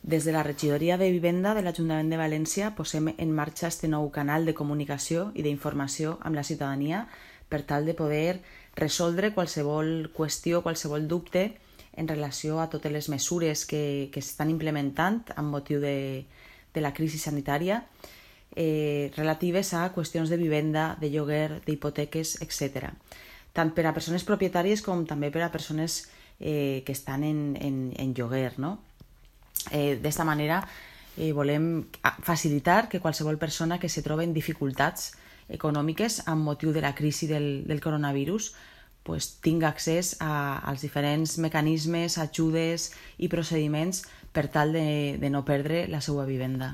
Des de la Regidoria de Vivenda de l'Ajuntament de València posem en marxa este nou canal de comunicació i d'informació amb la ciutadania per tal de poder resoldre qualsevol qüestió, qualsevol dubte en relació a totes les mesures que s'estan implementant amb motiu de la crisi sanitària relatives a qüestions de vivenda, de lloguer, d'hipoteques, etc. Tant per a persones propietàries com també per a persones que estan en lloguer, no? D'esta manera volem facilitar que qualsevol persona que se troba en dificultats econòmiques amb motiu de la crisi del coronavirus tinga accés als diferents mecanismes, ajudes i procediments per tal de no perdre la seva vivenda.